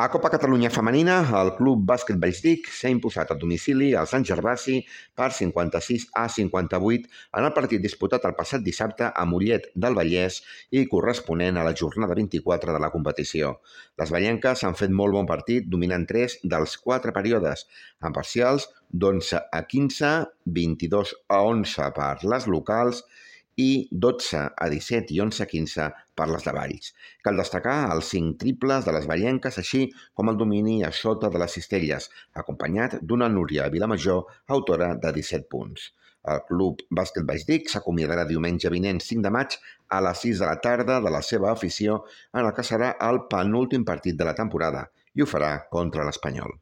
A Copa Catalunya Femenina, el Club Bàsquet Vallsdic s'ha imposat a domicili al Sant Gervasi per 56-58 en el partit disputat el passat dissabte a Mollet del Vallès i corresponent a la jornada 24 de la competició. Les vallenques han fet molt bon partit, dominant 3 dels 4 períodes, amb parcials d'11-15, 22-11 per les locals i 12-17 i 11-15 per les de Valls. Cal destacar els 5 triples de les vallenques, així com el domini a sota de les cistelles, acompanyat d'una Núria Vilamajor, autora de 17 punts. El Club Bàsquet Vallsdic s'acomiadarà diumenge vinent 5 de maig a les 6 de la tarda de la seva afició en el que serà el penúltim partit de la temporada i ho farà contra l'Espanyol.